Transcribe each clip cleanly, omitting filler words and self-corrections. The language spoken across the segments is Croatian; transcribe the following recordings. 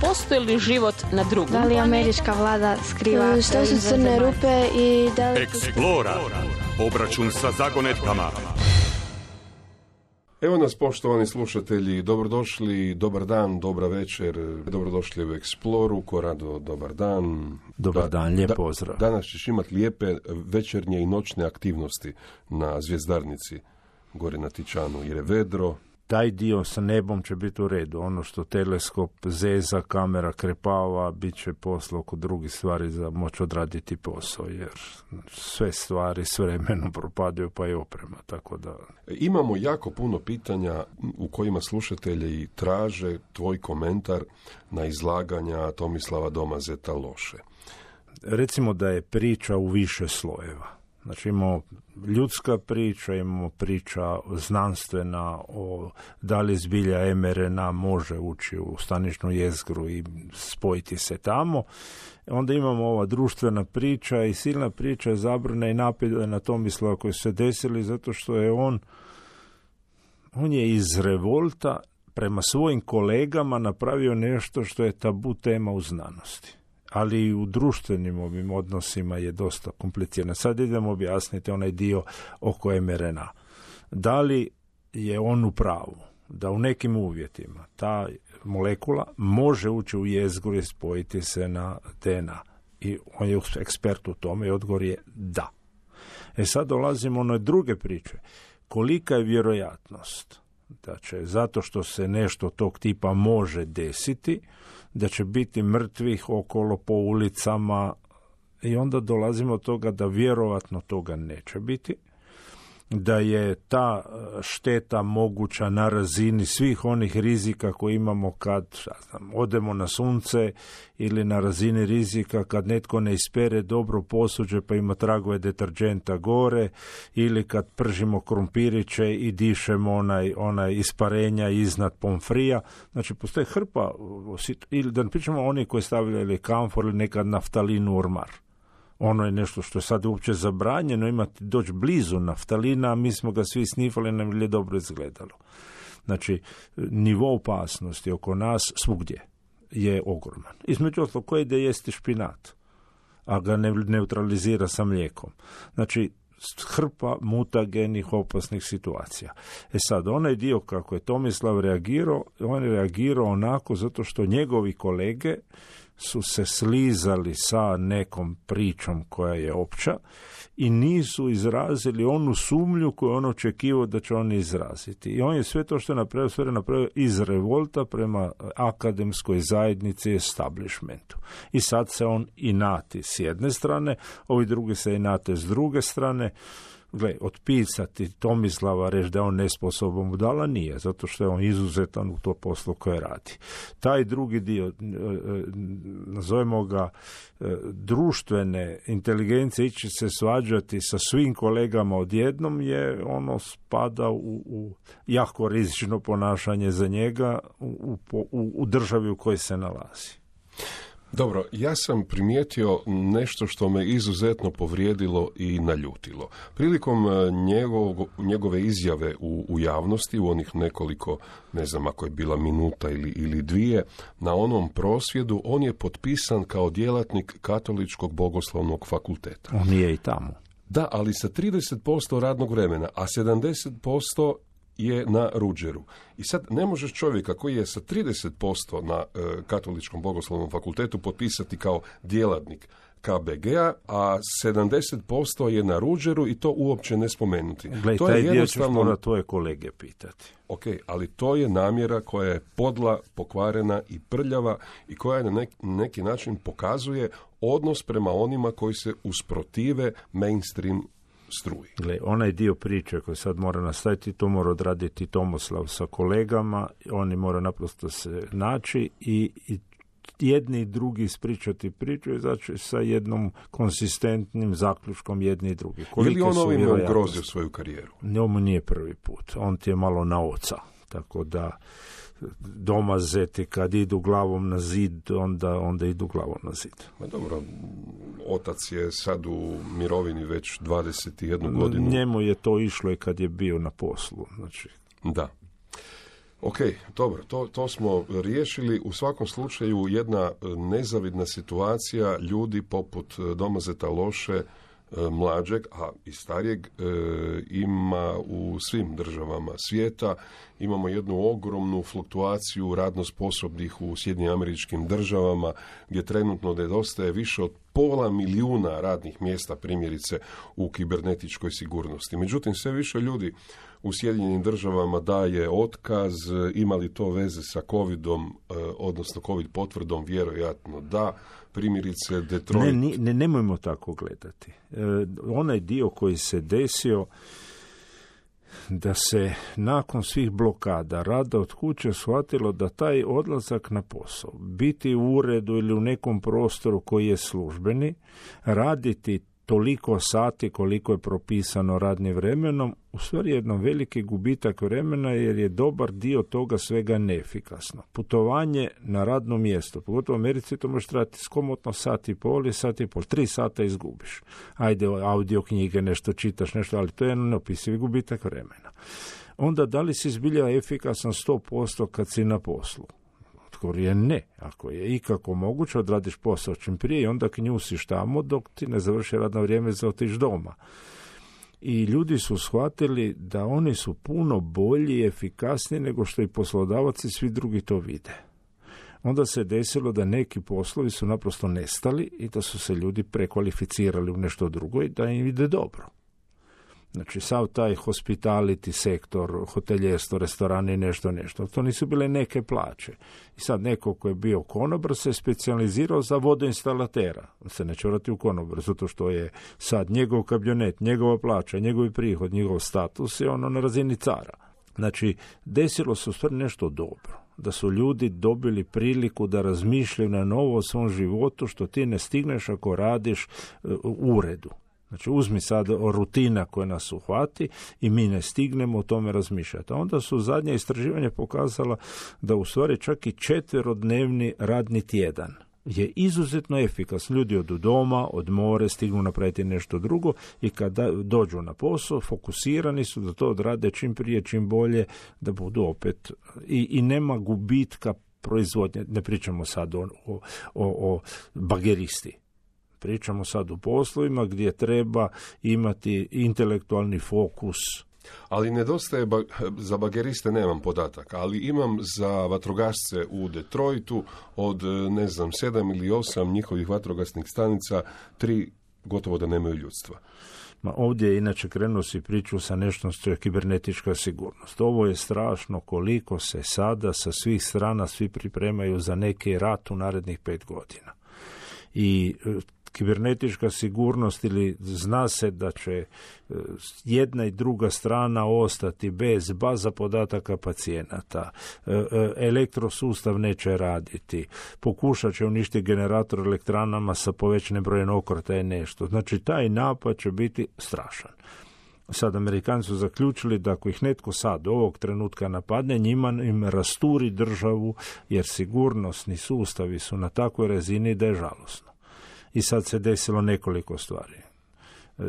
postoji li život na drugom Da li američka vlada skriva Što su crne rupe i da li... Eksplora. Obračun sa zagonetkama. Evo nas, poštovani slušatelji, dobrodošli, dobar dan, dobra večer, dobrodošli u Eksploru, Korado, dobar dan. Dobar dan, lijep pozdrav. Danas ćeš imati lijepe večernje i noćne aktivnosti na Zvjezdarnici, gore na Tičanu, jer je vedro. Taj dio sa nebom će biti u redu. Ono što teleskop zeza, kamera krepava, bit će poslo oko drugih stvari za moći odraditi posao, jer sve stvari s vremenom propadaju, pa i oprema. Tako da... Imamo jako puno pitanja u kojima slušatelji traže tvoj komentar na izlaganja Tomislava Domazeta Loše. Recimo da je priča u više slojeva. Znači imamo ljudska priča, imamo priča znanstvena o da li zbilja mRNA može ući u staničnu jezgru i spojiti se tamo. Onda imamo ova društvena priča i silna priča zabrane i napade na Tomislava koji su se desili zato što je on je iz revolta prema svojim kolegama napravio nešto što je tabu tema u znanosti. Ali i u društvenim ovim odnosima je dosta komplicirano. Sad idemo objasniti onaj dio oko mRNA. Da li je on u pravu da u nekim uvjetima ta molekula može ući u jezgru i spojiti se na DNA? I on je ekspert u tome i odgovor je da. Sad dolazimo na druge priče. Kolika je vjerojatnost da će, zato što se nešto tog tipa može desiti, da će biti mrtvih okolo po ulicama i onda dolazimo do toga da vjerovatno toga neće biti, da je ta šteta moguća na razini svih onih rizika koje imamo kad odemo na sunce ili na razini rizika kad netko ne ispere dobro posuđe pa ima tragove deterđenta gore ili kad pržimo krumpiriće i dišemo onaj isparenja iznad pomfrija. Znači postoje hrpa, ili da ne pričamo oni koji stavljaju kamfor ili nekad naftalin u ormar. Ono je nešto što je sad uopće zabranjeno, imati doći blizu naftalina, a mi smo ga svi snifali, nam je dobro izgledalo. Znači, nivo opasnosti oko nas svugdje je ogroman. Između ostalog, ko ide jesti špinat, a ga ne neutralizira sa mlijekom. Znači, hrpa mutagenih opasnih situacija. Sad, onaj dio kako je Tomislav reagirao, on je reagirao onako zato što njegovi kolege su se slizali sa nekom pričom koja je opća i nisu izrazili onu sumnju koju on očekivao da će oni izraziti. I on je sve to što je napravio iz revolta prema akademskoj zajednici i establishmentu. I sad se on inati s jedne strane, ovi drugi se inate s druge strane. Gle, otpisati Tomislava, reći da je on nesposoban budala, nije, zato što je on izuzetan u to poslu koje radi. Taj drugi dio, nazovemo ga društvene inteligencije, ići se svađati sa svim kolegama odjednom, je ono spada u jako rizično ponašanje za njega u državi u kojoj se nalazi. Dobro, ja sam primijetio nešto što me izuzetno povrijedilo i naljutilo. Prilikom njegove izjave u javnosti, u onih nekoliko, ne znam ako je bila minuta ili dvije, na onom prosvjedu, on je potpisan kao djelatnik Katoličkog bogoslovnog fakulteta. On je i tamo. Da, ali sa 30% radnog vremena, a 70% je na Ruđeru. I sad ne možeš čovjeka koji je sa 30% na Katoličkom bogoslovnom fakultetu potpisati kao djelatnik KBG-a, a 70% je na Ruđeru i to uopće ne spomenuti. Gle, to taj je dio jednostavno... ćeš mora tvoje kolege pitati. Ok, ali to je namjera koja je podla, pokvarena i prljava i koja na neki način pokazuje odnos prema onima koji se usprotive mainstream struji. Gle, onaj dio priče koji sad mora nastaviti, to mora odraditi Tomislav sa kolegama, oni mora naprosto se naći i jedni i drugi ispričati priču i znači sa jednom konsistentnim zaključkom jedni i drugi. Je li on ovime ugrozio svoju karijeru? Njemu nije prvi put. On ti je malo na oca. Tako da Domazeti kad idu glavom na zid, onda idu glavom na zid. Ma dobro, otac je sad u mirovini već 21 godinu. Njemu je to išlo i kad je bio na poslu. Znači. Da. Ok, dobro, to smo riješili. U svakom slučaju jedna nezavidna situacija, ljudi poput Domazeta Loše, mlađeg, a i starijeg, ima u svim državama svijeta. Imamo jednu ogromnu fluktuaciju radno sposobnih u Sjedinjenim Američkim Državama, gdje trenutno nedostaje više od 500 milijuna radnih mjesta, primjerice u kibernetičkoj sigurnosti. Međutim, sve više ljudi u Sjedinjenim Državama daje otkaz. Ima li to veze sa covidom, odnosno covid potvrdom? Vjerojatno da. Primjerice Detroit. Nemojmo tako gledati. Onaj dio koji se desio, da se nakon svih blokada rada od kuće shvatilo da taj odlazak na posao, biti u uredu ili u nekom prostoru koji je službeni, raditi toliko sati koliko je propisano radnim vremenom, u stvari jedan veliki gubitak vremena, jer je dobar dio toga svega neefikasno. Putovanje na radno mjesto, pogotovo u Americi, to može trajati skomotno sat i pol, 3 sata izgubiš. Ajde, audio knjige, nešto čitaš, nešto, ali to je jedan neopisivi gubitak vremena. Onda, da li si zbilja efikasan 100% kad si na poslu? Odgovor je ne. Ako je ikako moguće, odradiš posao čim prije i onda knjusiš tamo dok ti ne završi radno vrijeme za otići doma. I ljudi su shvatili da oni su puno bolji i efikasniji nego što i poslodavac i svi drugi to vide. Onda se desilo da neki poslovi su naprosto nestali i da su se ljudi prekvalificirali u nešto drugo i da im ide dobro. Znači, sav taj hospitality sektor, hoteljerstvo, restorani, nešto. To nisu bile neke plaće. I sad neko ko je bio konobar se specijalizirao za vodoinstalatera. Se neće vrati u konobar, zato što je sad njegov kabionet, njegova plaća, njegovi prihod, njegov status je ono na razini cara. Znači, desilo se u stvari nešto dobro. Da su ljudi dobili priliku da razmišljaju na novo o svom životu, što ti ne stigneš ako radiš u uredu. Znači, uzmi sad rutina koja nas uhvati i mi ne stignemo o tome razmišljati. A onda su zadnje istraživanja pokazala da u stvari čak i 4-dnevni radni tjedan je izuzetno efikasan. Ljudi odu doma, odmore, stignu napraviti nešto drugo i kada dođu na posao, fokusirani su da to odrade čim prije, čim bolje, da budu opet i nema gubitka proizvodnje. Ne pričamo sad o bageristi. Pričamo sad u poslovima gdje treba imati intelektualni fokus. Ali nedostaje, za bageriste nemam podataka, ali imam za vatrogasce u Detroitu od, 7 ili 8 njihovih vatrogasnih stanica, 3 gotovo da nemaju ljudstva. Ovdje je inače krenuo si priču sa nešto što je kibernetička sigurnost. Ovo je strašno koliko se sada sa svih strana svi pripremaju za neki rat u narednih 5 godina. I kibernetička sigurnost, ili zna se da će jedna i druga strana ostati bez baza podataka pacijenata, elektrosustav neće raditi, pokušat će uništiti generator elektranama sa povećanim brojem okretaja nešto. Znači, taj napad će biti strašan. Sad Amerikanci su zaključili da ako ih netko sad ovog trenutka napadne, njima im rasturi državu, jer sigurnosni sustavi su na takvoj razini da je žalosno. I sad se desilo nekoliko stvari.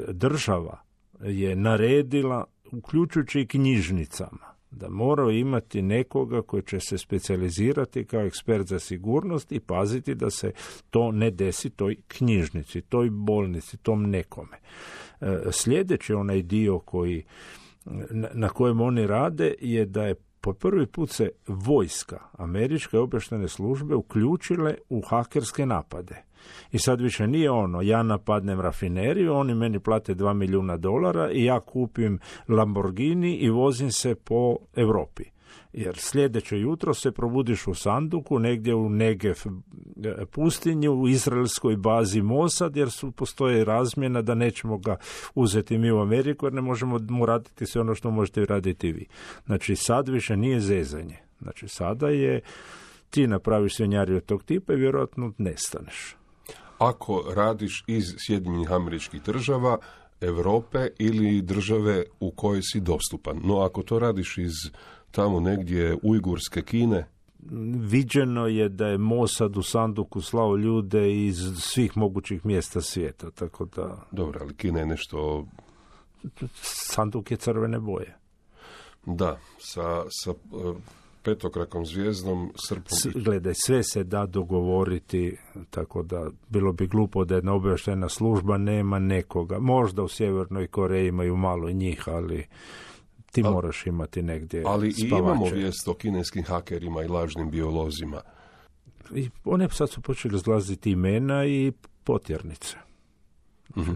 Država je naredila, uključujući i knjižnicama, da moraju imati nekoga koji će se specijalizirati kao ekspert za sigurnost i paziti da se to ne desi toj knjižnici, toj bolnici, tom nekome. Sljedeći onaj dio na kojem oni rade je da je po prvi put se vojska, američke obavještajne službe uključile u hakerske napade. I sad više nije ja napadnem rafineriju, oni meni plate $2 milijuna i ja kupim Lamborghini i vozim se po Europi. Jer sljedeće jutro se probudiš u sanduku negdje u Negev pustinji, u izraelskoj bazi Mossad, jer postoje razmjena da nećemo ga uzeti mi u Ameriku, jer ne možemo mu raditi sve ono što možete raditi vi. Znači, sad više nije zezanje. Znači, sada je ti napraviš svinjariju od tog tipa i vjerojatno nestaneš. Ako radiš iz Sjedinjenih Američkih Država, Europe ili države u kojoj si dostupan. No, ako to radiš iz tamo negdje Ujgurske Kine? Viđeno je da je Mossad u sanduku slao ljude iz svih mogućih mjesta svijeta, tako da... Dobro, ali Kina je nešto... Sanduk je crvene boje. Da, sa petokrakom zvijezdom, srpom. Gledaj, sve se da dogovoriti, tako da bilo bi glupo da jedna obavještajna služba nema nekoga. Možda u Sjevernoj Koreji imaju malo njih, ali ti moraš imati negdje ali spavače. I imamo vijest o kineskim hakerima i lažnim biolozima. I one sad su počeli izlaziti imena i potjernice.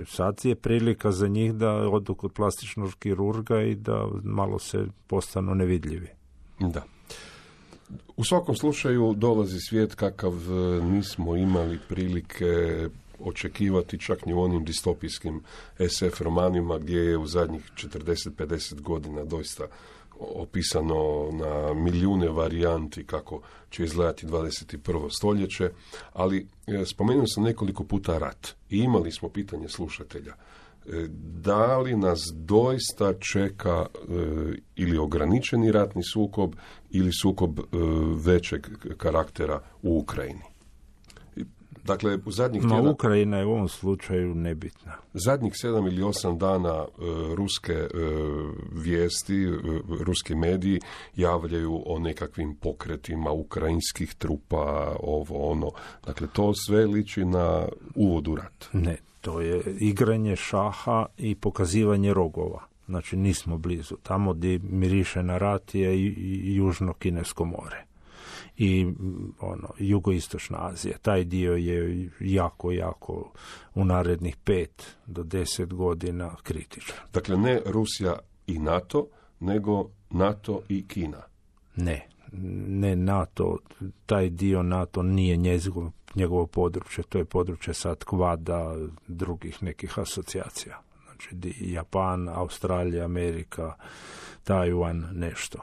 Sad je prilika za njih da odu kod plastičnog kirurga i da malo se postanu nevidljivi. Da. U svakom slučaju dolazi svijet kakav nismo imali prilike očekivati čak ni u onim distopijskim SF romanima gdje je u zadnjih 40-50 godina doista opisano na milijune varijanti kako će izgledati 21. stoljeće, ali spomenuo sam nekoliko puta rat i imali smo pitanje slušatelja. Da li nas doista čeka ili ograničeni ratni sukob ili sukob većeg karaktera u Ukrajini? Dakle, u zadnjih tjedana... Ukrajina je u ovom slučaju nebitna. Zadnjih 7 ili 8 dana ruske vijesti, ruski mediji javljaju o nekakvim pokretima ukrajinskih trupa, ovo, ono. Dakle, to sve liči na uvod u rat. Ne, to je igranje šaha i pokazivanje rogova. Znači, nismo blizu. Tamo gdje miriše na rat je i Južno Kinesko more. I jugoistočna Azija. Taj dio je jako u narednih 5 do 10 godina kritičan. Dakle, ne Rusija i NATO, nego NATO i Kina. Ne NATO, taj dio NATO nije njegovo područje, to je područje sad Kvada, drugih nekih asocijacija. Znači, Japan, Australija, Amerika, Tajvan, nešto.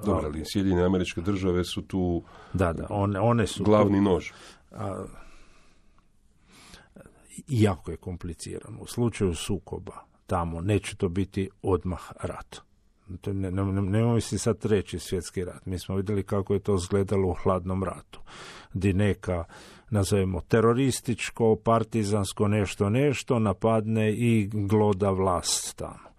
Dobro, ali Sjedinjene Američke Države su tu one su glavni nož. Jako je komplicirano. U slučaju sukoba tamo neće to biti odmah rat. Nemoj si sad reći svjetski rat. Mi smo vidjeli kako je to izgledalo u hladnom ratu. Gdje neka, nazovemo, terorističko, partizansko nešto napadne i gloda vlast tamo.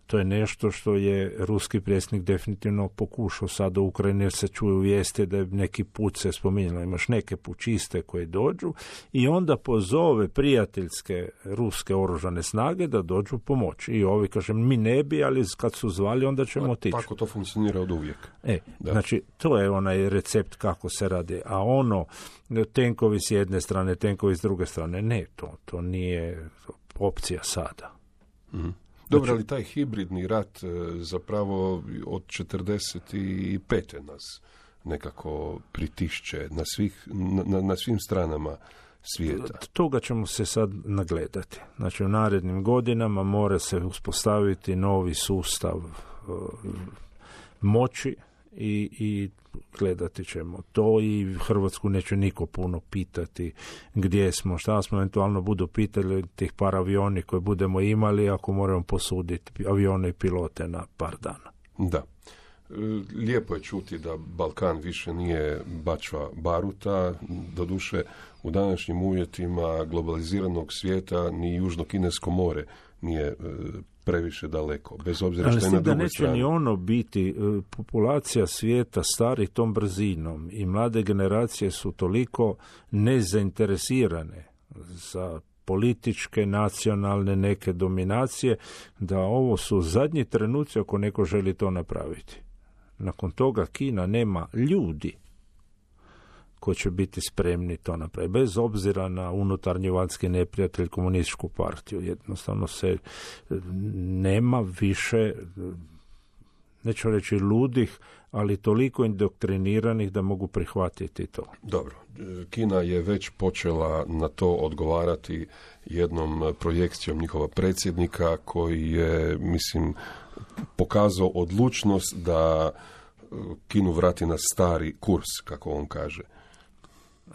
To je nešto što je ruski predsjednik definitivno pokušao sada u Ukrajini, jer se čuju vijesti da je neki put se spominjalo. Imaš neke pučiste koje dođu i onda pozove prijateljske ruske oružane snage da dođu pomoći. I ovi, kažem, mi ne bi, ali kad su zvali, onda ćemo otići. Tako to funkcionira od uvijek. Znači, to je onaj recept kako se radi. A tenkovi s jedne strane, tenkovi s druge strane, ne, to nije opcija sada. Mm-hmm. Dobro, ali taj hibridni rat zapravo od 45. nas nekako pritišće na svim stranama svijeta. Toga ćemo se sad nagledati. Znači, u narednim godinama mora se uspostaviti novi sustav moći i gledati ćemo to i Hrvatsku neće niko puno pitati gdje smo, šta smo, eventualno budu pitali tih par avioni koje budemo imali ako moramo posuditi avione i pilote na par dana. Da. Lijepo je čuti da Balkan više nije bačva baruta, doduše u današnjim uvjetima globaliziranog svijeta ni Južno Kinesko more nije previše daleko, bez obzira što je na drugoj strani. Ali neće ni ono biti, populacija svijeta stari tom brzinom i mlade generacije su toliko nezainteresirane za političke, nacionalne neke dominacije, da ovo su zadnji trenuci ako neko želi to napraviti. Nakon toga Kina nema ljudi koji će biti spremni to napraviti. Bez obzira na unutarnji vanjski neprijatelj komunističku partiju. Jednostavno se nema više, neću reći ludih, ali toliko indoktriniranih da mogu prihvatiti to. Dobro, Kina je već počela na to odgovarati jednom projekcijom njihova predsjednika koji je, mislim, pokazao odlučnost da Kinu vrati na stari kurs, kako on kaže.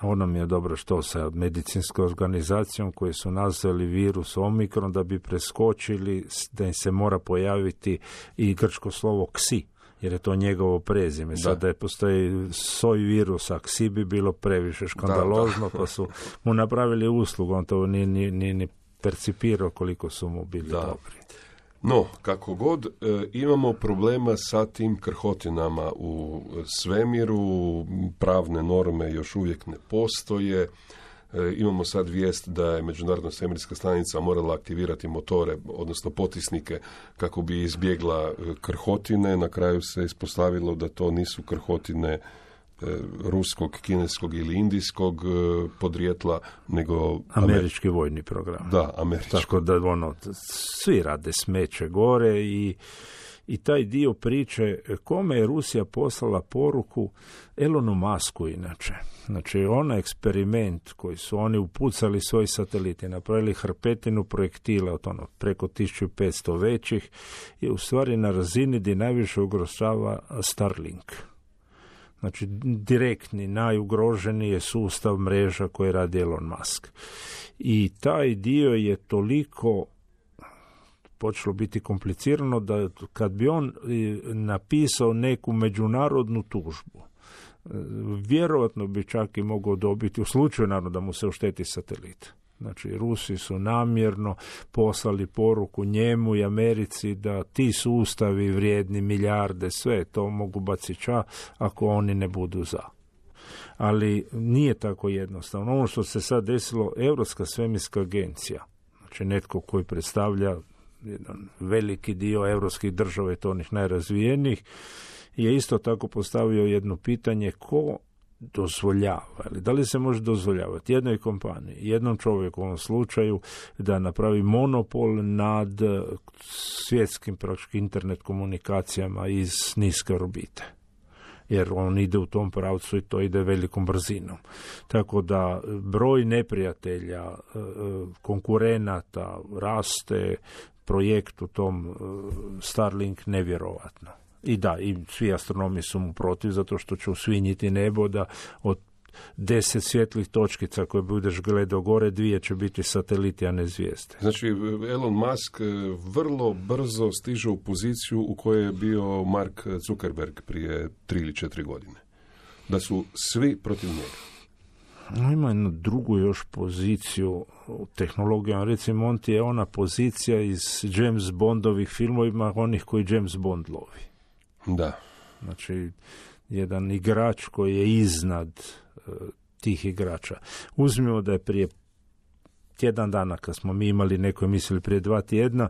Ono mi je dobro što sa medicinskom organizacijom koji su nazvali virus Omikron da bi preskočili da im se mora pojaviti i grčko slovo ksi, jer je to njegovo prezime. Sad da je postoji soj virusa, ksi bi bilo previše škandalozno, pa su mu napravili uslugu, on to nije ni percipirao koliko su mu bili dobri. No, kako god, imamo problema sa tim krhotinama u svemiru, pravne norme još uvijek ne postoje. Imamo sad vijest da je Međunarodna svemirska stanica morala aktivirati motore, odnosno potisnike, kako bi izbjegla krhotine. Na kraju se ispostavilo da to nisu krhotine ruskog, kineskog ili indijskog podrijetla, nego američki vojni program. Da, američki. Tako da svi rade smeće gore i taj dio priče kome je Rusija poslala poruku, Elonu Musku inače. Znači, onaj eksperiment koji su oni upucali svoji sateliti, napravili hrpetinu projektila od preko 1500 većih, je u stvari na razini gdje najviše ugrožava Starlink. Znači, direktni, najugroženiji je sustav mreža koje radi Elon Musk. I taj dio je toliko počelo biti komplicirano da kad bi on napisao neku međunarodnu tužbu, vjerojatno bi čak i mogao dobiti, u slučaju naravno da mu se ošteti satelit. Znači, Rusi su namjerno poslali poruku njemu i Americi da ti sustavi vrijedni milijarde, sve to mogu baciti ako oni ne budu za. Ali nije tako jednostavno. Ono što se sad desilo, Europska svemirska agencija, znači netko koji predstavlja jedan veliki dio europskih država i to onih najrazvijenijih, je isto tako postavio jedno pitanje: ko dozvoljava, ili da li se može dozvoljavati jednoj kompaniji, jednom čovjeku u ovom slučaju, da napravi monopol nad svjetskim praktički internet komunikacijama iz niske orbite. Jer on ide u tom pravcu i to ide velikom brzinom. Tako da broj neprijatelja, konkurenata raste, projekt u tom Starlink nevjerovatno. I da, i svi astronomi su mu protiv, zato što će usvinjiti nebo, da od 10 svjetlih točkica koje budeš gledao gore, 2 će biti sateliti, a ne zvijezde. Znači, Elon Musk vrlo brzo stiže u poziciju u kojoj je bio Mark Zuckerberg prije 3 ili 4 godine. Da su svi protiv njega. Ima jednu drugu još poziciju u tehnologijama. Recimo, on ti je ona pozicija iz James Bondovih filmovima, onih koji James Bond lovi. Da. Znači, jedan igrač koji je iznad tih igrača. Uzmimo da je prije tjedan dana, kad smo mi imali neko emisiju, prije 2 tjedna,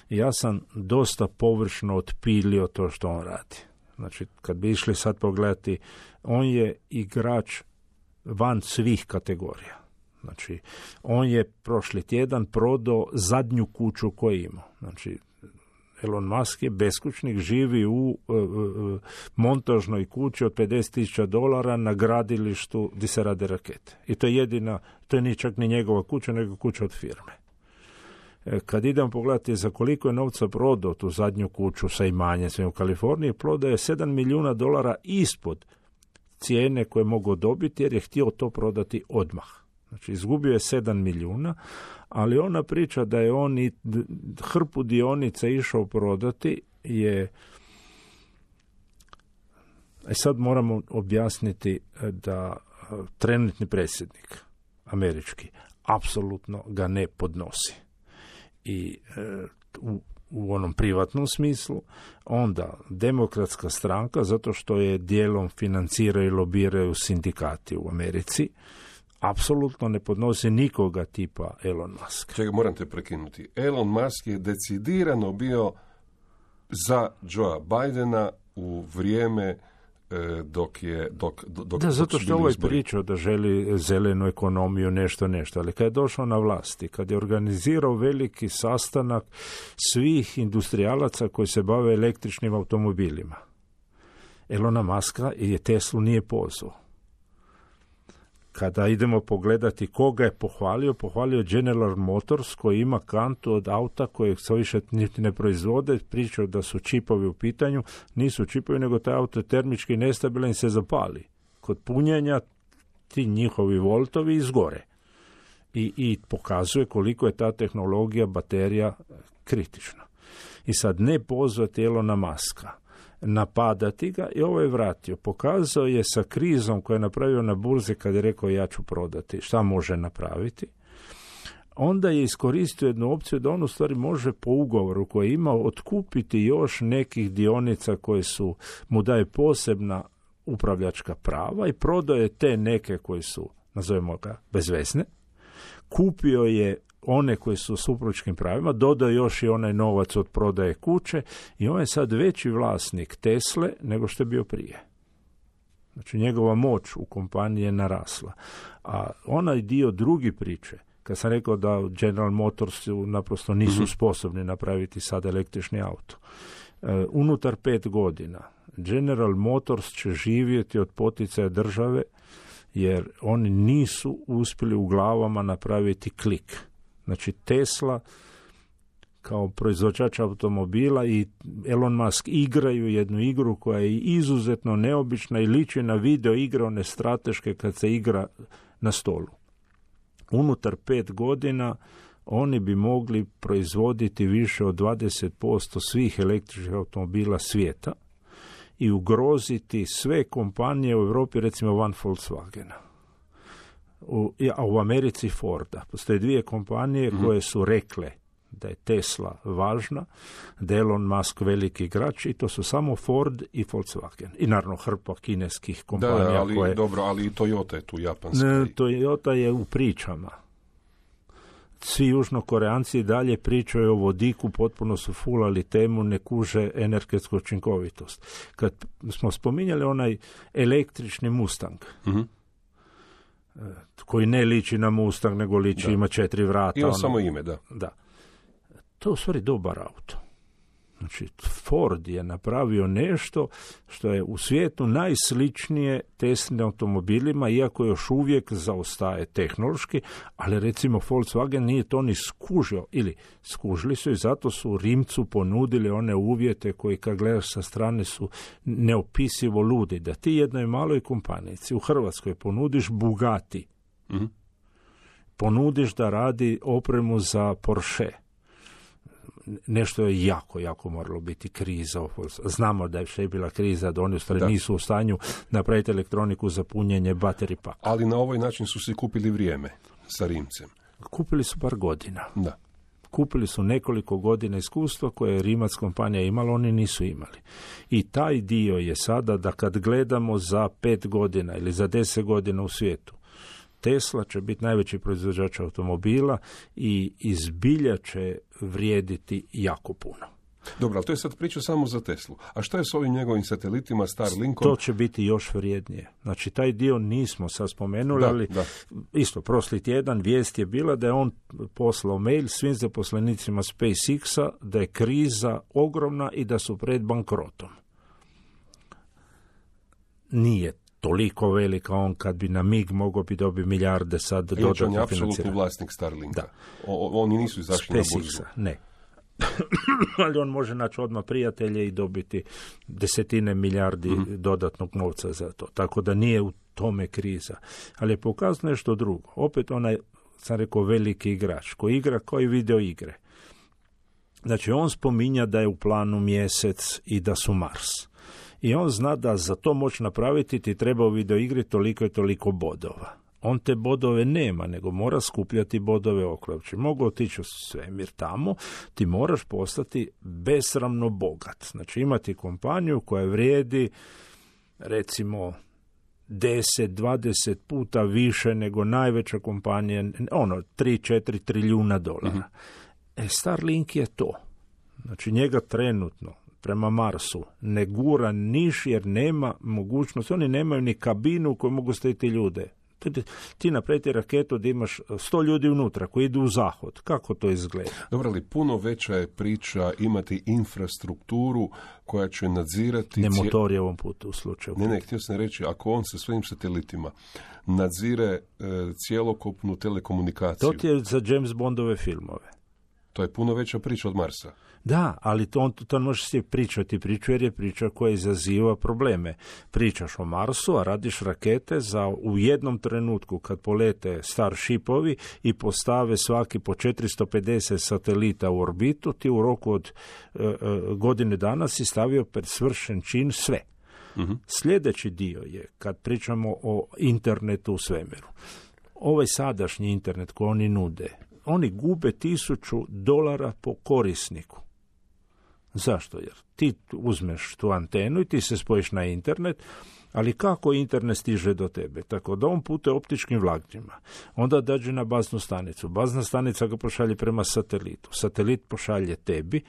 ja sam dosta površno otpilio to što on radi. Znači, kad bi išli sad pogledati, on je igrač van svih kategorija. Znači, on je prošli tjedan prodao zadnju kuću koju ima. Znači, Elon Musk je beskućnik, živi u montažnoj kući od $50,000 na gradilištu gdje se rade rakete. I to je jedina, to je ni čak ni njegova kuća, nego kuća od firme. Kad idem pogledati za koliko je novca prodao tu zadnju kuću sa imanjem svim u Kaliforniji, prodao je $7 milijuna ispod cijene koje mogu dobiti, jer je htio to prodati odmah. Znači, izgubio je 7 milijuna, ali ona priča da je on i hrpu dionica išao prodati je... sad moramo objasniti da trenutni predsjednik američki apsolutno ga ne podnosi. I u onom privatnom smislu, onda demokratska stranka, zato što je dijelom financiraju i lobiraju sindikati u Americi, apsolutno ne podnosi nikoga tipa Elon Musk. Čekaj, moram te prekinuti. Elon Musk je decidirano bio za Joea Bidena u vrijeme dok da, zato što ovaj pričao da želi zelenu ekonomiju, nešto, ali kad je došao na vlasti, kad je organizirao veliki sastanak svih industrijalaca koji se bave električnim automobilima, Elona Muska je Teslu nije pozvao. Kada idemo pogledati koga je pohvalio General Motors, koji ima kantu od auta kojeg se više niti ne proizvode, pričao da su čipovi u pitanju, nisu čipovi, nego taj auto je termički nestabilan i se zapali. Kod punjenja ti njihovi voltovi izgore. I pokazuje koliko je ta tehnologija baterija kritična. I sad ne pozvati Elona Muska, napadati ga, i ovo je vratio. Pokazao je sa krizom koju je napravio na burzi kad je rekao ja ću prodati. Šta može napraviti? onda je iskoristio jednu opciju da on u stvari može po ugovoru koji je imao otkupiti još nekih dionica koje su mu daje posebna upravljačka prava i prodaje te neke koji su, nazovemo ga, bezvezne. Kupio je one koji su s upravljačkim pravima, dodao još i onaj novac od prodaje kuće i on je sad veći vlasnik Tesle nego što je bio prije. Znači njegova moć u kompaniji je narasla. A onaj dio drugi priče, kad sam rekao da General Motors naprosto nisu sposobni napraviti sad električni auto, unutar 5 godina General Motors će živjeti od poticaja države jer oni nisu uspjeli u glavama napraviti klik. Znači Tesla kao proizvođač automobila i Elon Musk igraju jednu igru koja je izuzetno neobična i liči na video igre one strateške kad se igra na stolu. Unutar 5 godina oni bi mogli proizvoditi više od 20% svih električnih automobila svijeta i ugroziti sve kompanije u Europi, recimo van Volkswagena. A u Americi Forda. Postoje 2 kompanije koje su rekle da je Tesla važna, da je Elon Musk veliki igrač i to su samo Ford i Volkswagen. I naravno hrpa kineskih kompanija. Da, ali koje... dobro, ali i Toyota je tu japanska. Toyota je u pričama. Svi južnokoreanci dalje pričaju o vodiku, potpuno su fulali temu, ne kuže energetsku učinkovitost. Kad smo spominjali onaj električni Mustang, koji ne liči na Mustang, nego liči, ima 4 vrata. Ima samo ime, da. To je u stvari dobar auto. Znači, Ford je napravio nešto što je u svijetu najsličnije Teslinim automobilima, iako još uvijek zaostaje tehnološki, ali recimo Volkswagen nije to ni skužio, ili skužili su i zato su Rimcu ponudili one uvjete koji kad gledaš sa strane su neopisivo ludi, da ti jednoj maloj kompanici u Hrvatskoj ponudiš Bugatti, ponudiš da radi opremu za Porsche. Nešto je jako moralo biti kriza. Znamo da je bila kriza, da oni u stvari nisu u stanju napraviti elektroniku za punjenje battery paka. Ali na ovaj način su si kupili vrijeme sa Rimcem. Kupili su par godina. Da. Kupili su nekoliko godina iskustva koje je Rimac kompanija imala, oni nisu imali. I taj dio je sada da kad gledamo za 5 godina ili za 10 godina u svijetu, Tesla će biti najveći proizvođač automobila i izbilja će vrijediti jako puno. Dobro, ali to je sad priča samo za Teslu. A šta je s ovim njegovim satelitima, Starlinkom? To će biti još vrijednije. Znači, taj dio nismo sad spomenuli, ali isto, prošli tjedan vijest je bila da je on poslao mail svim zaposlenicima SpaceX-a da je kriza ogromna i da su pred bankrotom. Nije toliko velika on kad bi na mig mogao bi dobiti milijarde sad dodatno financiranja. On je apsolutni vlasnik Starlinka. Da. Oni nisu izašli na burzu. Ne. Ali on može naći odmah prijatelje i dobiti desetine milijardi dodatnog novca za to. Tako da nije u tome kriza. Ali je pokazano nešto drugo. Opet onaj, sam rekao, veliki igrač koji igra koji video igre. Znači on spominja da je u planu Mjesec i da su Mars. I on zna da za to moći napraviti ti treba u videoigri toliko i toliko bodova. On te bodove nema, nego mora skupljati bodove okolo. Znači, mogu otići u svemir tamo, ti moraš postati besramno bogat. Znači, imati kompaniju koja vrijedi, recimo, 10-20 puta više nego najveća kompanija, 3-4 trilijuna dolara. Starlink je to. Znači, njega trenutno prema Marsu ne gura niš jer nema mogućnost, oni nemaju ni kabinu u kojoj mogu staviti ljude. Ti napraviti raketu da imaš 100 ljudi unutra koji idu u zahod. Kako to izgleda? Dobro, ali puno veća je priča imati infrastrukturu koja će nadzirati... Ne motor je ovom putu u slučaju. Ne, htio sam reći, ako on sa svojim satelitima nadzire cjelokupnu telekomunikaciju... To ti je za James Bondove filmove. To je puno veća priča od Marsa. Da, ali to možeš si pričati priču jer je priča koja izaziva probleme. Pričaš o Marsu, a radiš rakete za u jednom trenutku kad polete Starshipovi i postave svaki po 450 satelita u orbitu, ti u roku od godine dana si stavio pred svršen čin sve. Sljedeći dio je kad pričamo o internetu u svemiru. Ovaj sadašnji internet koji oni nude, oni gube $1000 po korisniku. Zašto? Jer ti uzmeš tu antenu i ti se spojiš na internet, ali kako internet stiže do tebe? Tako da on putuje optičkim vlaknima. Onda dođe na baznu stanicu. Bazna stanica ga pošalje prema satelitu. Satelit pošalje tebi.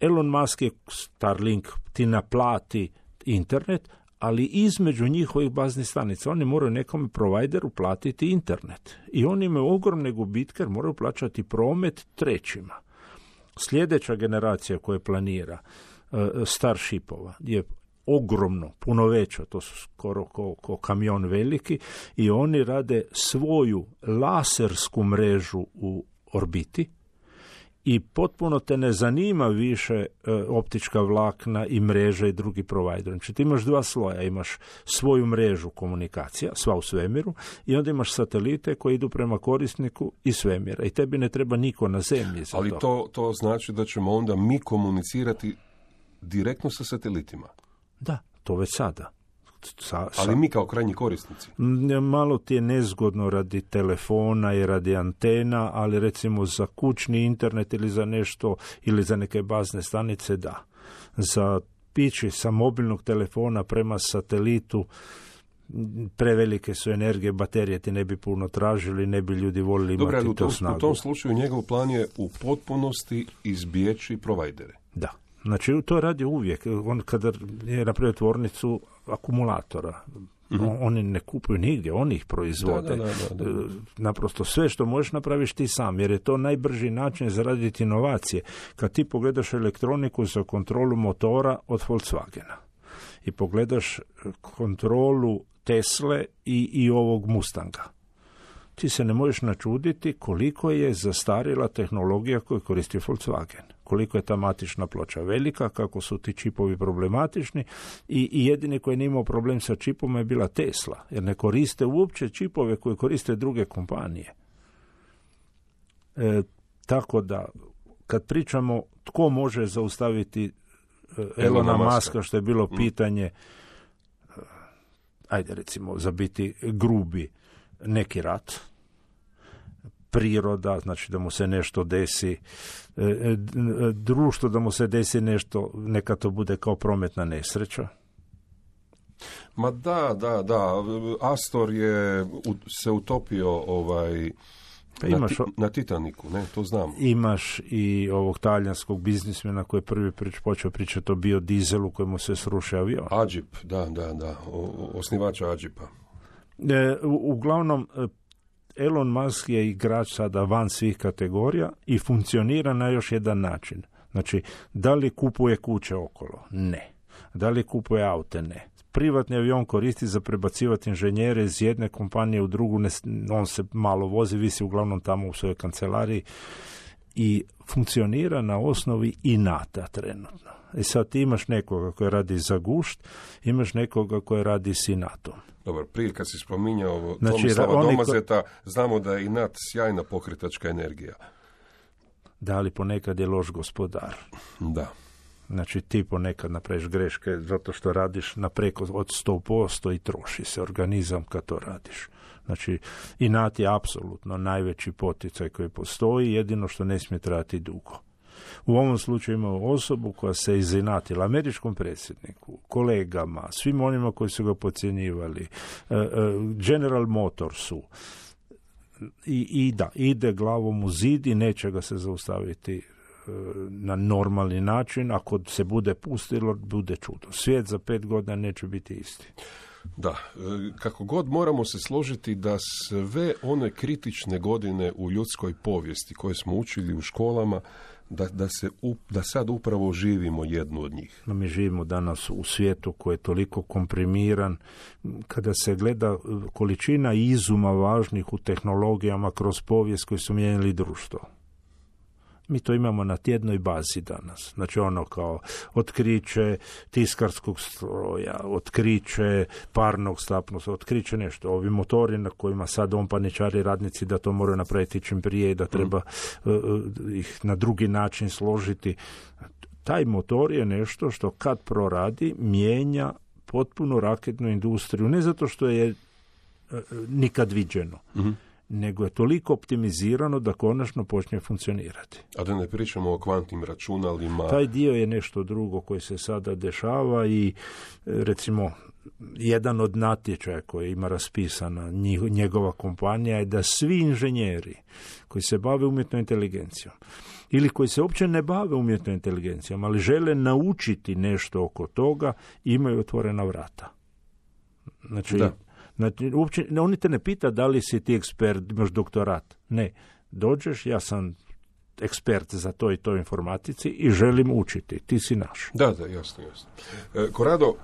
Elon Musk je Starlink, ti naplati internet, ali između njihovih baznih stanica oni moraju nekom provajderu platiti internet. I oni imaju ogromne gubitke jer moraju plaćati promet trećima. Sljedeća generacija koja planira Starshipova je ogromno, puno veća, to su skoro ko kamion veliki, i oni rade svoju lasersku mrežu u orbiti i potpuno te ne zanima više optička vlakna i mreža i drugi provider. Znači ti imaš dva sloja, imaš svoju mrežu komunikacija, sva u svemiru, i onda imaš satelite koji idu prema korisniku i svemira. I tebi ne treba niko na zemlji za ali to znači da ćemo onda mi komunicirati direktno sa satelitima. Da, to već sada. Ali mi kao krajnji korisnici. Malo ti je nezgodno radi telefona i radi antena, ali recimo za kućni internet ili za nešto, ili za neke bazne stanice, da. Za pići sa mobilnog telefona prema satelitu prevelike su energije, baterije ti ne bi puno tražili, ne bi ljudi volili imati to snagu. U tom slučaju njegov plan je u potpunosti izbjeći provajdere. Da. Znači, to radi uvijek. On kada je napravio tvornicu akumulatora, oni ne kupuju nigdje, oni ih proizvode. Da. Naprosto sve što možeš napraviš ti sam, jer je to najbrži način za raditi inovacije. Kad ti pogledaš elektroniku za kontrolu motora od Volkswagena i pogledaš kontrolu Tesle i ovog Mustanga, ti se ne možeš načuditi koliko je zastarjela tehnologija koju koristi Volkswagen. Koliko je ta matična ploča velika, kako su ti čipovi problematični, i jedini koji nije imao problem sa čipom je bila Tesla, jer ne koriste uopće čipove koje koriste druge kompanije. Tako da, kad pričamo tko može zaustaviti Elona Muska, što je bilo pitanje, ajde recimo, za biti grubi, neki rat, priroda, znači da mu se nešto desi, društvo da mu se desi nešto, neka to bude kao prometna nesreća. Ma da. Astor je se utopio na Titaniku, ne, to znam. Imaš i ovog talijanskog biznismena koji je prvi počeo pričati o biodizelu kojemu se srušio avion. Agip, da, osnivača Agipa. Uglavnom, Elon Musk je igrač sada van svih kategorija i funkcionira na još jedan način. Znači, da li kupuje kuće okolo? Ne. Da li kupuje aute? Ne. Privatni avion koristi za prebacivati inženjere iz jedne kompanije u drugu, on se malo vozi, visi uglavnom tamo u svojoj kancelariji i funkcionira na osnovi inata trenutno. I sad ti imaš nekoga koji radi za gušt, imaš nekoga koji radi s inatom. Dobro, prije kad si spominjao Tomislava Domazeta, znamo da je inat sjajna pokretačka energija. Da, ali ponekad je loš gospodar. Da. Znači ti ponekad napraviš greške zato što radiš na preko od 100% i troši se organizam kad to radiš. Znači inat je apsolutno najveći poticaj koji postoji, jedino što ne smije trajati dugo. U ovom slučaju imamo osobu koja se izinatila američkom predsjedniku, kolegama, svim onima koji su ga podcjenjivali, General Motorsu, i da, ide glavom u zid i neće ga se zaustaviti na normalni način. Ako se bude pustilo, bude čudo. Svijet za 5 godina neće biti isti. Da, kako god moramo se složiti da sve one kritične godine u ljudskoj povijesti koje smo učili u školama, da sad upravo živimo jednu od njih. Mi živimo danas u svijetu koji je toliko komprimiran, kada se gleda količina izuma važnih u tehnologijama kroz povijest koji su mijenjali društvo. Mi to imamo na tjednoj bazi danas. Znači ono kao otkriće tiskarskog stroja, otkriće parnog stapnusa, otkriće nešto. Ovi motori na kojima sad on paničari radnici da to moraju napraviti čim prije i da treba ih na drugi način složiti. Taj motor je nešto što kad proradi mijenja potpuno raketnu industriju. Ne zato što je nikad viđeno, nego je toliko optimizirano da konačno počne funkcionirati. A da ne pričamo o kvantnim računalima. Taj dio je nešto drugo koji se sada dešava i recimo jedan od natječaja koji ima raspisana njegova kompanija je da svi inženjeri koji se bave umjetnom inteligencijom ili koji se uopće ne bave umjetnom inteligencijom, ali žele naučiti nešto oko toga, imaju otvorena vrata. Znači, uopće, oni te ne pita da li si ti ekspert, imaš doktorat. Ne, dođeš, ja sam ekspert za to i to informatici i želim učiti, ti si naš. Da, jasno. Korado,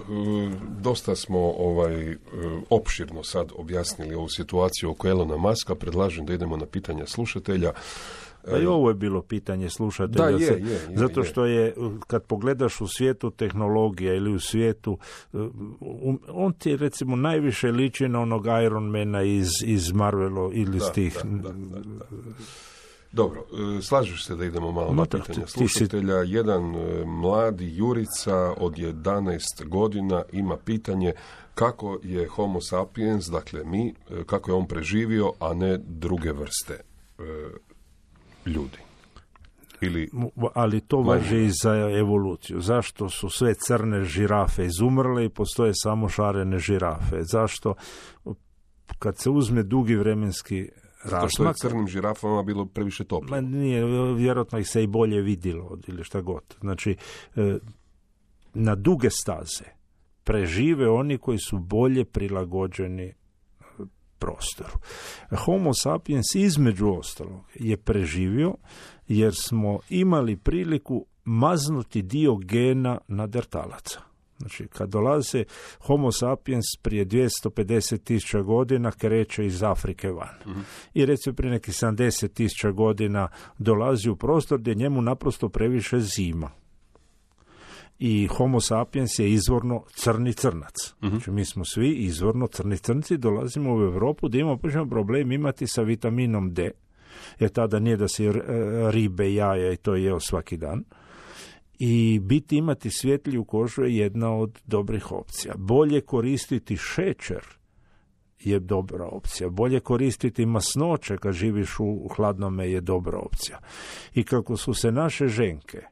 dosta smo opširno sad objasnili ovu situaciju oko Elona Muska, predlažem da idemo na pitanja slušatelja. Pa i ovo je bilo pitanje slušatelja, zato što je, kad pogledaš u svijetu tehnologija ili u svijetu, on ti recimo najviše liči na onog Ironmana iz Marvela ili iz tih... Dobro, slažeš se da idemo malo na pitanja slušatelja. Jedan mladi Jurica od 11 godina ima pitanje kako je Homo sapiens, dakle mi, kako je on preživio, a ne druge vrste ljudi. Ali to važi i za evoluciju. Zašto su sve crne žirafe izumrle i postoje samo šarene žirafe? Zašto? Kad se uzme dugi vremenski rasmak... Što je crnim žirafama bilo previše toplo? Nije, vjerojatno ih se i bolje vidjelo ili šta god. Znači, na duge staze prežive oni koji su bolje prilagođeni prostoru. Homo sapiens između ostalog je preživio jer smo imali priliku maznuti dio gena neandertalaca. Znači, kad dolaze Homo sapiens prije 250.000 godina kreće iz Afrike van. I recimo prije nekih 70.000 godina dolazi u prostor gdje njemu naprosto previše zima. I Homo sapiens je izvorno crni crnac. Znači, mi smo svi izvorno crni crnci, dolazimo u Europu da imamo počnemo problem imati sa vitaminom D, jer tada nije da se ribe, jaja i to jeo svaki dan. I imati svjetliju kožu je jedna od dobrih opcija. Bolje koristiti šećer je dobra opcija. Bolje koristiti masnoće kad živiš u hladnome je dobra opcija. I kako su se naše ženke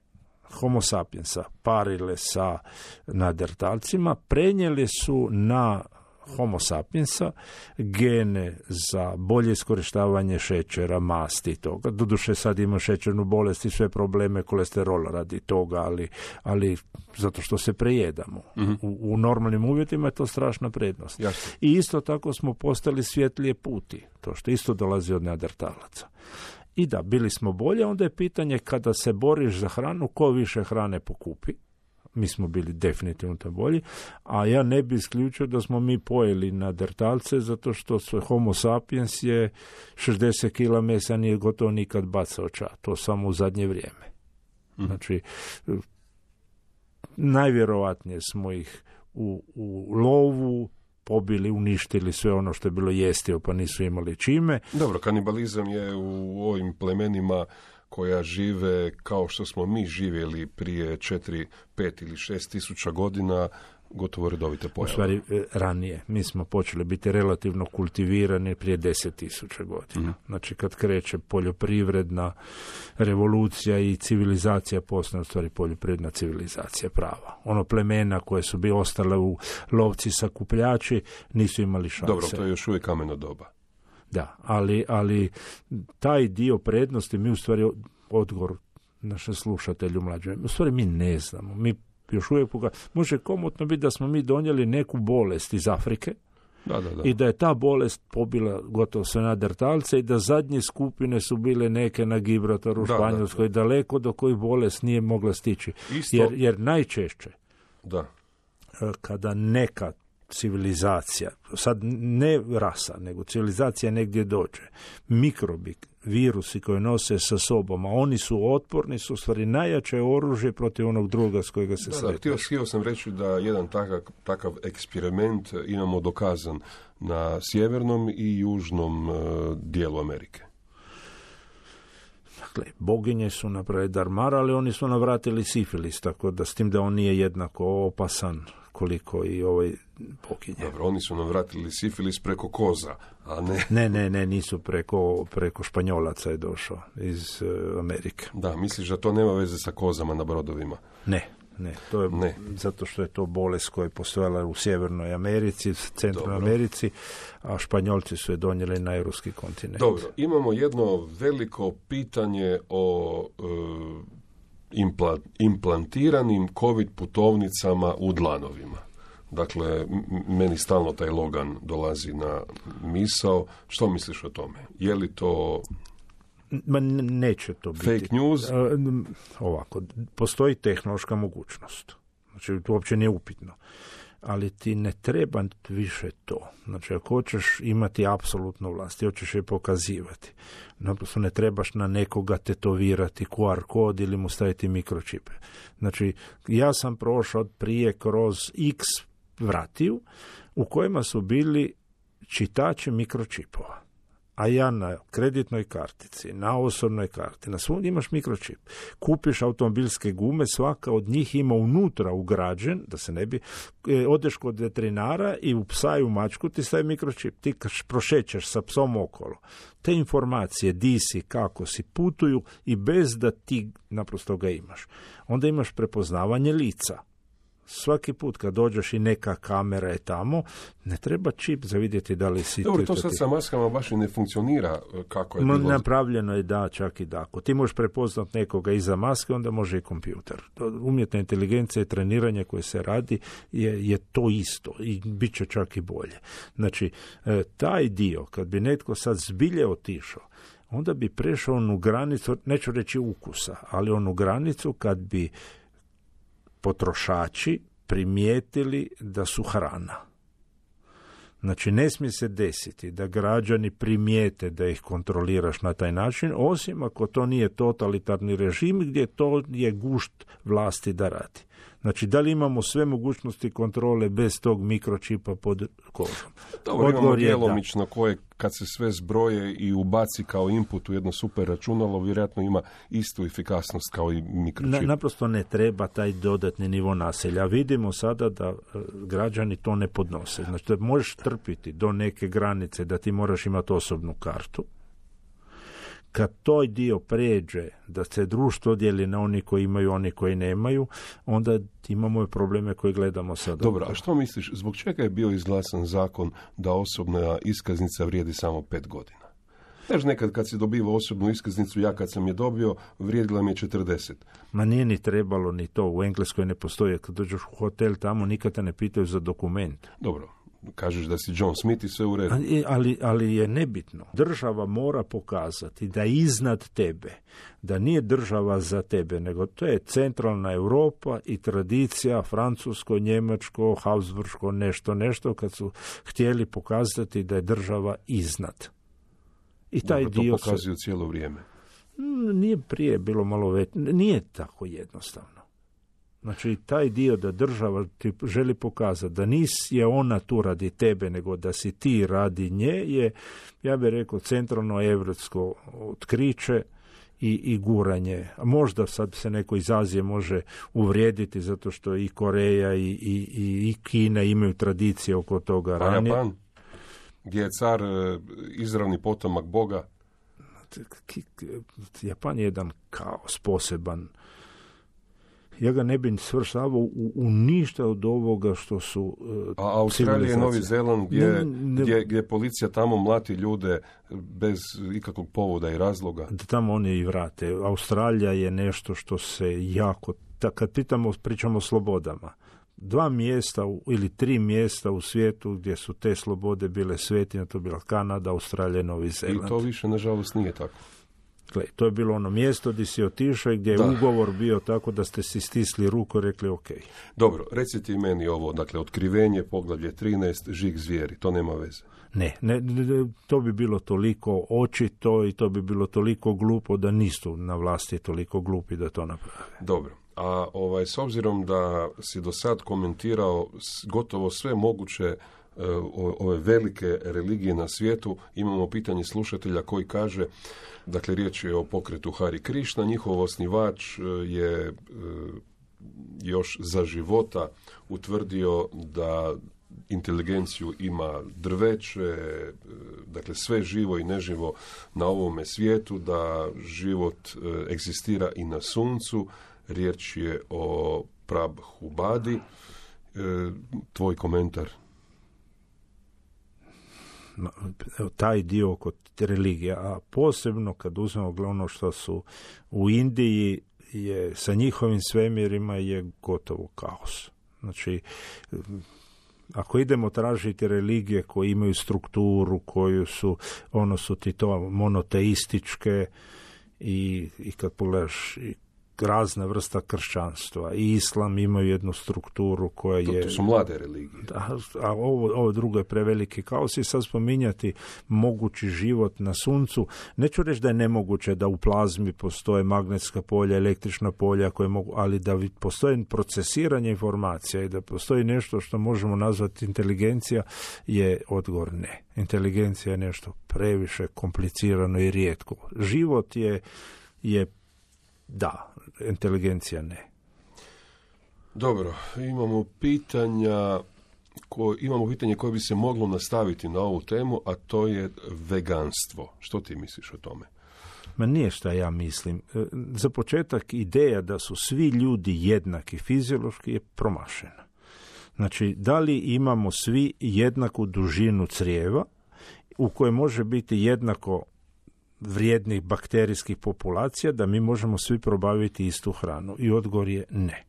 Homo sapiensa parile sa neandertalcima, prenijeli su na Homo sapiensa gene za bolje iskorištavanje šećera, masti i toga. Doduše sad ima šećernu bolest i sve probleme kolesterola radi toga, ali zato što se prejedamo. U normalnim uvjetima je to strašna prednost. Jasne. I isto tako smo postali svjetlije puti, to što isto dolazi od neandertalaca. I da, bili smo bolje, onda je pitanje kada se boriš za hranu, ko više hrane pokupi. Mi smo bili definitivno to bolji, a ja ne bi isključio da smo mi pojeli neandertalce zato što Homo sapiens je 60 kila mesa nije gotovo nikad bacao to samo u zadnje vrijeme. Znači, najvjerovatnije smo ih u lovu pobili, uništili sve ono što je bilo jestivo pa nisu imali čime. Dobro, kanibalizam je u ovim plemenima koja žive kao što smo mi živjeli prije 4, 5 ili 6 tisuća godina, gotovo redovite pojave. U stvari, ranije. Mi smo počeli biti relativno kultivirani prije 10.000 godina. Znači, kad kreće poljoprivredna revolucija i civilizacija, postane u stvari poljoprivredna civilizacija prava. Ono plemena koje su bi ostale u lovci sakupljači nisu imali šanse. Dobro, to je još uvijek kameno doba. Da, ali taj dio prednosti mi u stvari odgovor našem slušatelju mlađem. U stvari mi ne znamo. Mi još uvijek može komotno biti da smo mi donijeli neku bolest iz Afrike i da je ta bolest pobila gotovo sve neandertalce i da zadnje skupine su bile neke na Gibraltaru u Španjolskoj, daleko do kojih bolest nije mogla stići. Jer najčešće kada neka civilizacija, sad ne rasa, nego civilizacija negdje dođe, mikrobi, virusi koje nose sa sobom, a oni su otporni, su u stvari najjače oružje protiv onog druga s kojega se sretneš. Htio sam reći da jedan takav eksperiment imamo dokazan na sjevernom i južnom dijelu Amerike. Dakle, boginje su napravili Darmar, ali oni su navratili sifilis, tako da s tim da on nije jednako opasan koliko i pokinje. Dobro, oni su nam vratili sifilis preko koza, a ne... Ne, nisu preko Španjolaca je došao iz Amerike. Da, misliš da to nema veze sa kozama na brodovima? Ne, to je zato što je to bolest koja je postojala u Sjevernoj Americi, Centralnoj Americi, a Španjolci su je donijeli na europski kontinent. Dobro, imamo jedno veliko pitanje o implantiranim COVID putovnicama u dlanovima. Dakle, meni stalno taj Logan dolazi na misao. Što misliš o tome? Je li to... Neće to biti. Fake news? Ovako, postoji tehnološka mogućnost. Znači, to uopće nije upitno. Ali ti ne treba više to. Znači, ako hoćeš imati apsolutnu vlast, hoćeš je pokazivati, naprosto ne trebaš na nekoga tetovirati QR kod ili mu staviti mikročipe. Znači, ja sam prošao prije kroz X vratiju u kojima su bili čitači mikročipova. A ja na kreditnoj kartici, na osobnoj karti, na svom imaš mikročip. Kupiš automobilske gume, svaka od njih ima unutra ugrađen, da se ne bi, odeš kod veterinara i u psa i u mačku ti stavi mikročip. Ti prošećeš sa psom okolo. Te informacije, di si, kako si, putuju i bez da ti naprosto ga imaš. Onda imaš prepoznavanje lica. Svaki put kad dođeš i neka kamera je tamo, ne treba čip za vidjeti da li si... Dobro, to sad sa maskama baš i ne funkcionira kako je bilo. Napravljeno je da, čak i da. Ako ti možeš prepoznat nekoga iza maske, onda može i kompjuter. Umjetna inteligencija i treniranje koje se radi je to isto i bit će čak i bolje. Znači, taj dio, kad bi netko sad zbilje otišao, onda bi prešao onu granicu, neću reći ukusa, ali onu granicu kad bi potrošači primijetili da su hrana. Znači, ne smije se desiti da građani primijete da ih kontroliraš na taj način, osim ako to nije totalitarni režim gdje to je gušt vlasti da radi. Znači, da li imamo sve mogućnosti kontrole bez tog mikročipa pod kožom? Dobro, imamo djelomično koje kad se sve zbroje i ubaci kao input u jedno super računalo, vjerojatno ima istu efikasnost kao i mikročip. Naprosto ne treba taj dodatni nivo nasilja. Vidimo sada da građani to ne podnose. Znači, da možeš trpiti do neke granice da ti moraš imati osobnu kartu. Kad toj dio pređe, da se društvo dijeli na oni koji imaju, oni koji nemaju, onda imamo probleme koje gledamo sada. Dobro, a što misliš, zbog čega je bio izglasan zakon da osobna iskaznica vrijedi samo 5 godina? Znaš, nekad kad si dobivao osobnu iskaznicu, ja kad sam je dobio, vrijedila mi je 40. Ma nije ni trebalo ni to, u Engleskoj ne postoji. Kad dođeš u hotel tamo, nikad te ne pitaju za dokument. Dobro. Kažeš da si John Smith i sve u redu. Ali je nebitno. Država mora pokazati da je iznad tebe, da nije država za tebe, nego to je centralna Europa i tradicija francusko, njemačko, habsburško, nešto, kad su htjeli pokazati da je država iznad. I taj dobro, dio to pokazuju cijelo vrijeme. Nije prije bilo malo već, nije tako jednostavno. Znači, taj dio da država ti želi pokazati da je ona tu radi tebe, nego da si ti radi nje, je, ja bih rekao, centralno evropsko otkriće i guranje. A možda sad se neko iz Azije može uvrijediti, zato što i Koreja i Kina imaju tradicije oko toga ranije. A Japan, gdje je car izravni potomak Boga? Japan je jedan kaos poseban. Ja ga ne bih svrstavao u ništa od ovoga što su a Australija i Novi Zeland gdje policija tamo mlati ljude bez ikakvog povoda i razloga. Da tamo oni i vrate. Australija je nešto što se jako... Kad pričamo o slobodama, 2 mjesta ili 3 mjesta u svijetu gdje su te slobode bile svetinje, to je bila Kanada, Australija i Novi Zeland. I to više, nažalost, nije tako. To je bilo ono mjesto gdje si otišao i gdje je ugovor bio tako da ste si stisli ruku i rekli ok. Dobro, recite i meni ovo, dakle, otkrivenje, poglavlje 13, žig zvijeri, to nema veze. Ne, to bi bilo toliko očito i to bi bilo toliko glupo da nisu na vlasti toliko glupi da to naprave. Dobro, a s obzirom da si do sad komentirao gotovo sve moguće ove velike religije na svijetu, imamo pitanje slušatelja koji kaže, dakle riječ je o pokretu Hari Krišna, njihov osnivač je još za života utvrdio da inteligenciju ima drveće, dakle sve živo i neživo na ovome svijetu, da život egzistira i na suncu. Riječ je o Prabhupadi. Tvoj komentar? Taj dio kod religija, a posebno kad uzmemo ono što su u Indiji, je sa njihovim svemirima je gotovo kaos. Znači, ako idemo tražiti religije koje imaju strukturu, koju su, su ti to monoteističke i kad pogledaš razna vrsta kršćanstva i islam imaju jednu strukturu koja je... To su mlade religije. A ovo drugo je preveliki kaos i sad spominjati mogući život na suncu. Neću reći da je nemoguće da u plazmi postoje magnetska polja, električna polja koje mogu, ali da postoje procesiranje informacija i da postoji nešto što možemo nazvati inteligencija, je odgovor ne. Inteligencija je nešto previše komplicirano i rijetko. Život je da, inteligencija ne. Dobro, imamo pitanje koje bi se moglo nastaviti na ovu temu, a to je veganstvo. Što ti misliš o tome? Ma nije šta ja mislim. Za početak, ideja da su svi ljudi jednaki fiziološki je promašena. Znači, da li imamo svi jednaku dužinu crijeva u kojoj može biti jednako vrijednih bakterijskih populacija, da mi možemo svi probaviti istu hranu? I odgovor je ne.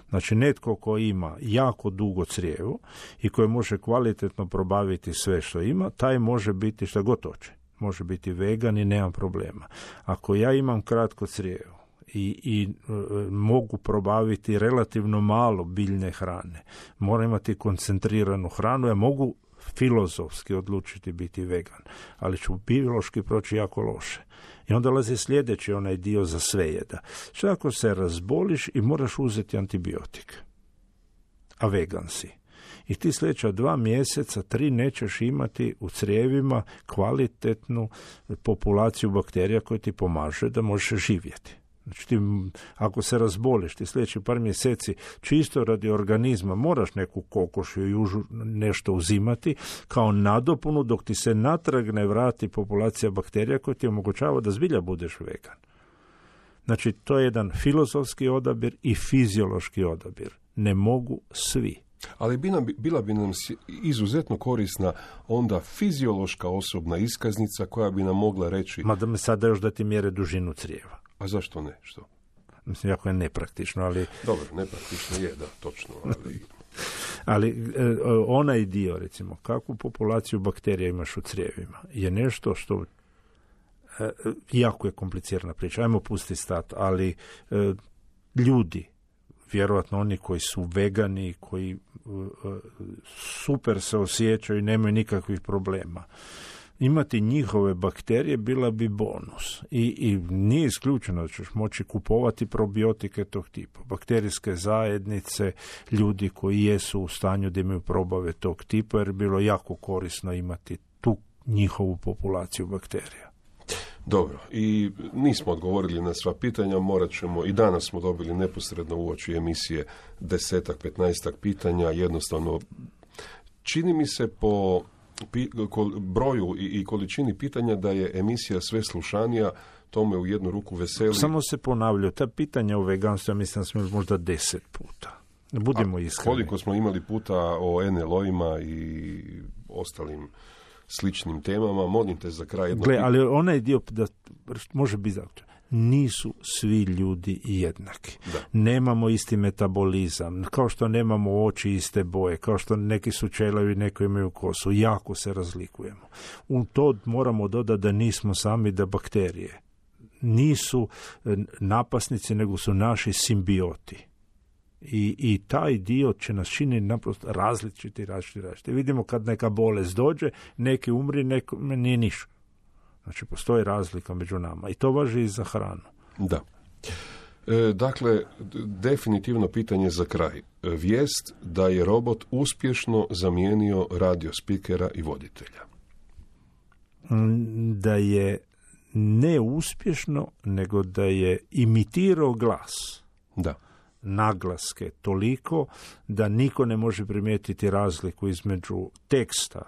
Znači, netko ko ima jako dugo crijevo i koji može kvalitetno probaviti sve što ima, taj može biti šta god hoće. Može biti vegan i nemam problema. Ako ja imam kratko crijevo i mogu probaviti relativno malo biljne hrane, moram imati koncentriranu hranu, ja mogu filozofski odlučiti biti vegan, ali ću biološki proći jako loše. I onda dolazi sljedeći onaj dio za svejeda. Što ako se razboliš i moraš uzeti antibiotik, a vegan si, i ti sljedeća 2 mjeseca, 3 nećeš imati u crijevima kvalitetnu populaciju bakterija koje ti pomaže da možeš živjeti. Znači ti, ako se razboliš, ti sljedeći par mjeseci čisto radi organizma moraš neku kokošu i južu nešto uzimati kao nadopunu dok ti se natrag ne vrati populacija bakterija koja ti omogućava da zbilja budeš vegan. Znači to je jedan filozofski odabir i fiziološki odabir. Ne mogu svi. Ali bila bi nam izuzetno korisna onda fiziološka osobna iskaznica koja bi nam mogla reći... Ma da me sada još da ti mjere dužinu crijeva. A zašto ne? Što? Mislim, jako je nepraktično, ali... Dobro, nepraktično je, da, točno, ali... Ali onaj dio, recimo, kakvu populaciju bakterija imaš u crijevima, je nešto što jako je komplicirana priča. Ajmo pustiti stat, ali ljudi, vjerojatno oni koji su vegani, koji super se osjećaju i nemaju nikakvih problema, imati njihove bakterije bila bi bonus. I nije isključeno da ćeš moći kupovati probiotike tog tipa. Bakterijske zajednice, ljudi koji jesu u stanju da imaju probave tog tipa, jer je bilo jako korisno imati tu njihovu populaciju bakterija. Dobro, i nismo odgovorili na sva pitanja, morat ćemo, i danas smo dobili neposredno uoči emisije 10-15 pitanja, jednostavno čini mi se po broju i količini pitanja da je emisija sve slušanija, to me u jednu ruku veseli. Samo se ponavljaju, ta pitanja o veganstvu, ja mislim da smo možda 10 puta. Budimo iskreni. Koliko smo imali puta o NLO-ima i ostalim sličnim temama, molim te za kraj jedno... Ali onaj dio da može biti zato. Nisu svi ljudi jednaki. Da. Nemamo isti metabolizam, kao što nemamo oči iste boje, kao što neki su čelavi, neki imaju kosu, jako se razlikujemo. U to moramo dodati da nismo sami, da bakterije nisu napasnici, nego su naši simbioti. I taj dio će nas čini naprosto različiti. Vidimo kad neka bolest dođe, neki umri, neko nije ništa. Znači, postoji razlika među nama i to važi i za hranu. Da. Dakle, definitivno pitanje za kraj. Vijest da je robot uspješno zamijenio radio spikera i voditelja. Da je ne uspješno, nego da je imitirao glas. Da. naglaske toliko da niko ne može primijetiti razliku između teksta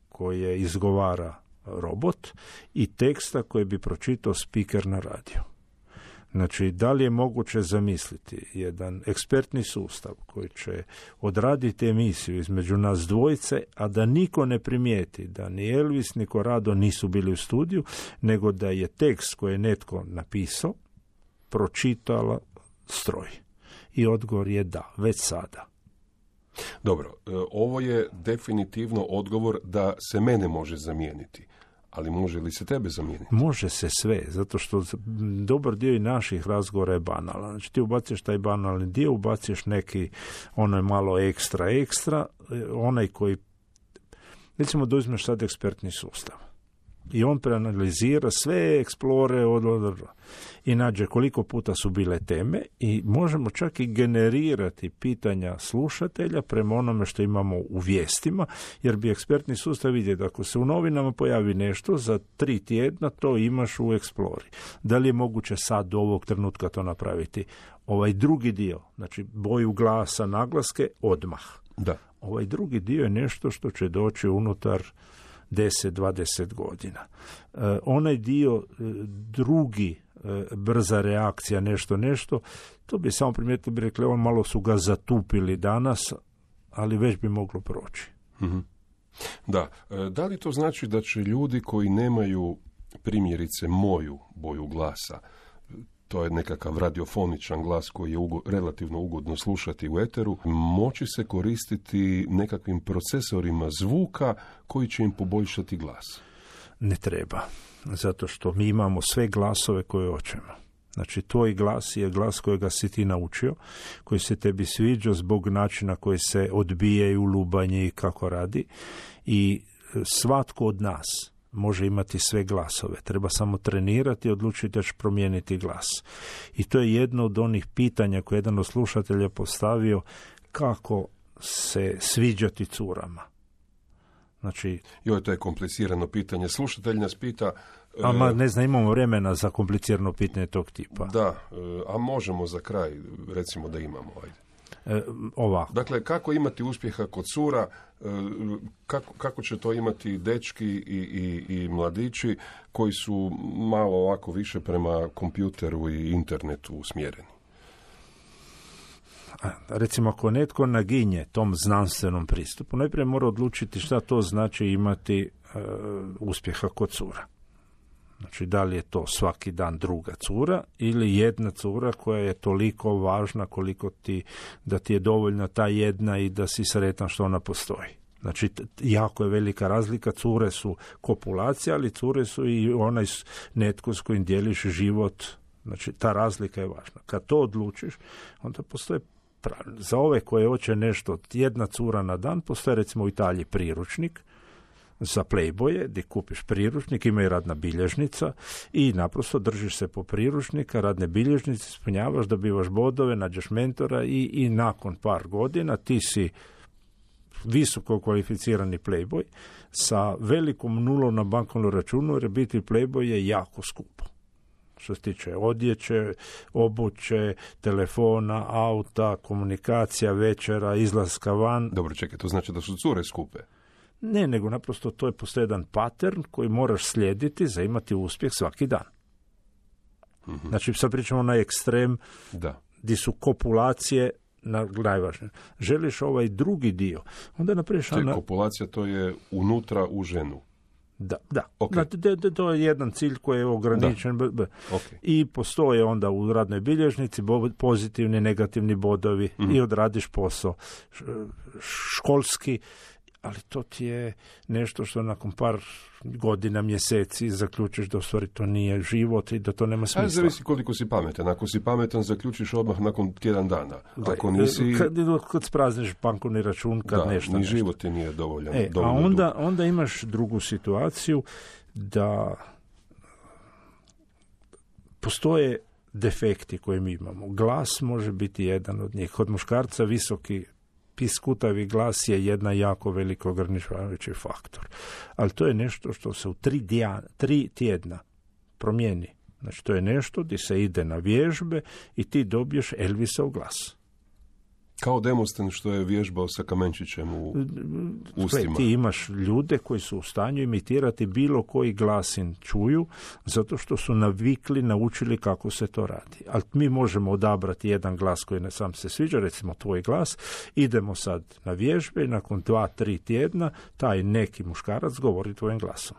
koje izgovara robot i teksta koji bi pročitao spiker na radiju. Znači, da li je moguće zamisliti jedan ekspertni sustav koji će odraditi emisiju između nas dvojice, a da niko ne primijeti da ni Elvis ni Corrado nisu bili u studiju, nego da je tekst koji je netko napisao pročitala stroj. I odgovor je da, već sada. Dobro, ovo je definitivno odgovor da se mene može zamijeniti. Ali može li se tebe zamijeniti? Može se sve, zato što dobar dio i naših razgovora je banalan. Znači ti ubaciš taj banalni dio, ubaciš neki onaj malo ekstra, onaj koji, recimo da uzmeš sad ekspertni sustav. I on preanalizira sve eksplore i nađe koliko puta su bile teme i možemo čak i generirati pitanja slušatelja prema onome što imamo u vijestima, jer bi ekspertni sustav vidio da ako se u novinama pojavi nešto, za 3 tjedna to imaš u Explori. Da li je moguće sad do ovog trenutka to napraviti? Ovaj drugi dio, znači boju glasa, naglaske, odmah. Da. Ovaj drugi dio je nešto što će doći unutar 10-20 godina. Onaj dio drugi, brza reakcija, nešto, to bi samo primijetili, bi rekli, on malo su ga zatupili danas, ali već bi moglo proći. Mm-hmm. Da. Da li to znači da će ljudi koji nemaju primjerice moju boju glasa, to je nekakav radiofoničan glas koji je relativno ugodno slušati u eteru, moći se koristiti nekakvim procesorima zvuka koji će im poboljšati glas? Ne treba, zato što mi imamo sve glasove koje hoćemo. Znači, tvoj glas je glas kojega si ti naučio, koji se tebi sviđa zbog načina koji se odbijaju, lubanje i kako radi. I svatko od nas može imati sve glasove. Treba samo trenirati i odlučiti da će promijeniti glas. I to je jedno od onih pitanja koje jedan od slušatelja postavio, kako se sviđati curama. Znači, to je komplicirano pitanje. Slušatelj nas pita... ne znam, imamo vremena za komplicirano pitanje tog tipa. Da, a možemo za kraj, recimo da imamo, ajde. Ovako. Dakle, kako imati uspjeha kod cura, kako će to imati dečki i mladići koji su malo ovako više prema kompjuteru i internetu usmjereni? Recimo, ako netko naginje tom znanstvenom pristupu, najprije mora odlučiti šta to znači imati uspjeha kod cura. Znači, da li je to svaki dan druga cura ili jedna cura koja je toliko važna koliko da ti je dovoljna ta jedna i da si sretan što ona postoji. Znači, jako je velika razlika. Cure su kopulacija, ali cure su i onaj netko s kojim dijeliš život. Znači, ta razlika je važna. Kad to odlučiš, onda postoje pravilno. Za ove koje hoće nešto, jedna cura na dan, postoje recimo u Italiji priručnik za Playboye, gdje kupiš priručnik, ima i radna bilježnica i naprosto držiš se po priručnika, radne bilježnice, ispunjavaš, dobivaš bodove, nađeš mentora i nakon par godina ti si visoko kvalificirani Playboy sa velikom nulom na bankovnom računu, jer biti Playboy je jako skupo. Što se tiče odjeće, obuće, telefona, auta, komunikacija, večera, izlaska van. Dobro, čekaj, to znači da su cure skupe? Ne, nego naprosto to je postoji jedan pattern koji moraš slijediti za imati uspjeh svaki dan. Mm-hmm. Znači, sad pričamo na ekstrem, gdje su kopulacije najvažnije. Želiš ovaj drugi dio, onda napraviš... Kopulacija, to je unutra u ženu. Da. Okay. To je jedan cilj koji je ograničen. Okay. I postoje onda u radnoj bilježnici pozitivni, negativni bodovi i odradiš posao školski, ali to ti je nešto što nakon par godina, mjeseci zaključiš da u stvari to nije život i da to nema smisla. Zavisi koliko si pametan. Ako si pametan, zaključiš odmah nakon tjedan dana. Ako nisi... Kad sprazniš bankovni račun, kad nešto... Ni život ti nije dovoljan. A onda imaš drugu situaciju da postoje defekti koje mi imamo. Glas može biti jedan od njih. Kod muškarca visoki piskutavi glas je jedna jako veliko ograničavajući faktor. Ali to je nešto što se u 3 tjedna promijeni. Znači, to je nešto gdje se ide na vježbe i ti dobiješ Elvisov glas. Kao Demosten što je vježbao sa kamenčićem u ustima. Ti imaš ljude koji su u stanju imitirati bilo koji glasin čuju, zato što su naučili kako se to radi. Ali mi možemo odabrati jedan glas koji ne sam se sviđa, recimo tvoj glas, idemo sad na vježbe i nakon 2-3 tjedna taj neki muškarac govori tvojim glasom.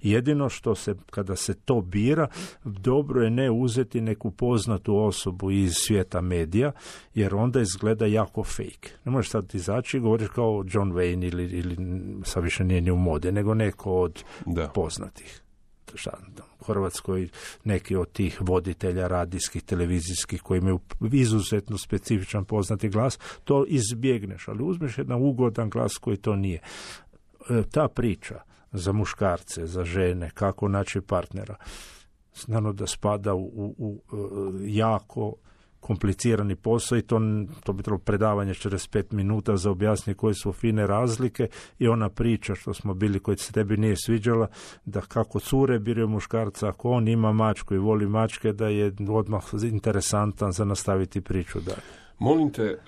Jedino što se, kada se to bira, dobro je ne uzeti neku poznatu osobu iz svijeta medija, jer onda izgleda jako fake. Ne možeš sad izaći i govoriš kao John Wayne ili sad više nije ni u mode, nego neko od poznatih. U Hrvatskoj neki od tih voditelja radijskih, televizijskih koji imaju izuzetno specifičan poznati glas, to izbjegneš, ali uzmeš jedan ugodan glas koji to nije. Ta priča za muškarce, za žene, kako naći partnera, znano da spada u jako komplicirani posao i to bi trebalo predavanje 45 minuta za objasniti koje su fine razlike i ona priča što smo bili, koji se tebi nije sviđala, da kako cure biraju muškarca, ako on ima mačku i voli mačke, da je odmah interesantan za nastaviti priču dalje. Molim te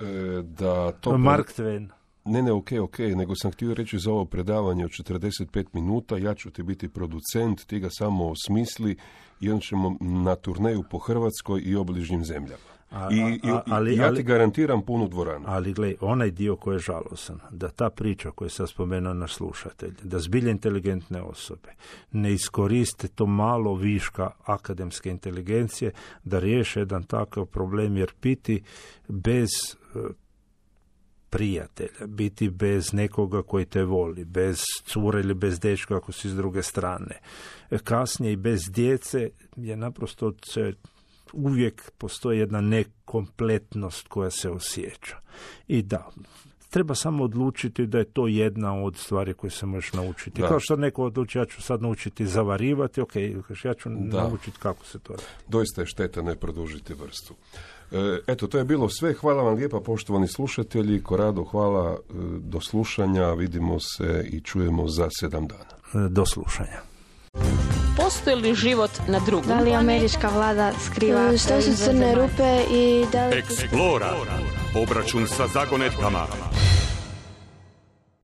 da to... Mark Twain. Ne, ok, nego sam htio reći za ovo predavanje od 45 minuta, ja ću ti biti producent, ti ga samo osmisli i onda ćemo na turneju po Hrvatskoj i obližnjim zemljama. Ja ti garantiram punu dvoranu. Ali gle, onaj dio koji je žalosan, da ta priča koju sam spomenuo naš slušatelj, da zbilje inteligentne osobe ne iskoriste to malo viška akademske inteligencije da riješe jedan takav problem, jer biti bez prijatelja, biti bez nekoga koji te voli, bez cure ili bez dečka ako si s druge strane, kasnije i bez djece je naprosto uvijek postoji jedna nekompletnost koja se osjeća. I da, treba samo odlučiti da je to jedna od stvari koje se možeš naučiti. Kao što neko odluči, ja ću sad naučiti zavarivati, ja ću naučiti kako se to radi. Doista je šteta ne produžiti vrstu. Eto, to je bilo sve. Hvala vam lijepa, poštovani slušatelji. Korado, hvala, do slušanja. Vidimo se i čujemo za 7 dana. Do slušanja. Postoji li život na drugom? Da li američka vlada skriva? Što su crne rupe i da li... Explora. Obračun sa zagonetkama.